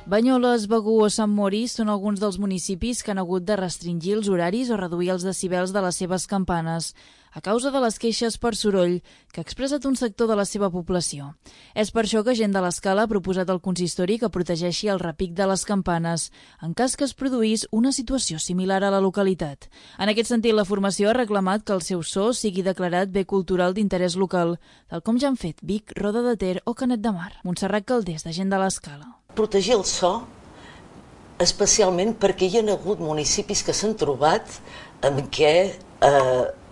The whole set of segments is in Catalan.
Banyoles, Begur o Sant Mori són alguns dels municipis que han hagut de restringir els horaris o reduir els decibels de les seves campanes a causa de les queixes per soroll que ha expressat un sector de la seva població. És per això que Gent de l'Escala ha proposat al consistori que protegeixi el repic de les campanes en cas que es produís una situació similar a la localitat. En aquest sentit, la formació ha reclamat que el seu so sigui declarat bé cultural d'interès local, tal com ja han fet Vic, Roda de Ter o Canet de Mar. Montserrat Caldés, de Gent de l'Escala. Protegir el so, especialment perquè hi ha hagut municipis que s'han trobat en què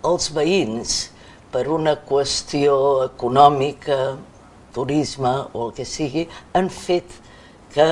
els veïns, per una qüestió econòmica, turisme o el que sigui, han fet que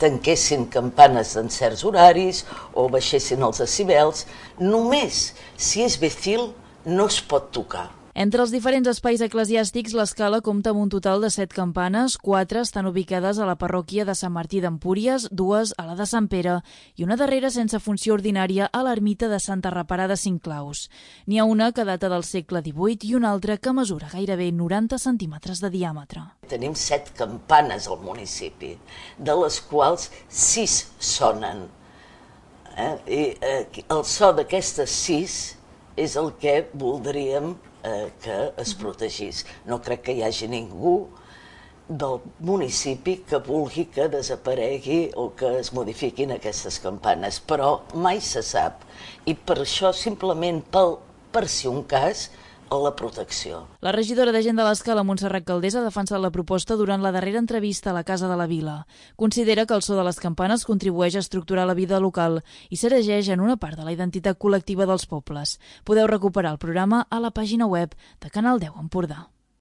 tanquessin campanes en certs horaris o baixessin els decibels. Només si és Becil no es pot tocar. Entre els diferents espais eclesiàstics, l'Escala compta amb un total de 7 campanes, 4 estan ubicades a la parròquia de Sant Martí d'Empúries, 2 a la de Sant Pere i una darrera sense funció ordinària a l'ermita de Santa Reparà de Cinclaus. N'hi ha una que data del segle XVIII i una altra que mesura gairebé 90 centímetres de diàmetre. Tenim 7 campanes al municipi, de les quals 6 sonen. I el so d'aquestes 6 és el que voldríem que es protegís. No crec que hi hagi ningú del municipi que vulgui que desaparegui o que es modifiquin aquestes campanes, però mai se sap. I per això, simplement per si un cas, la protecció. La regidora de Gent de l'Escala, Montserrat Caldés, ha defensat la proposta durant la darrera entrevista a la Casa de la Vila. Considera que el so de les campanes contribueix a estructurar la vida local i s'erigeix en una part de la identitat col·lectiva dels pobles. Podeu recuperar el programa a la pàgina web de Canal 10 Empordà.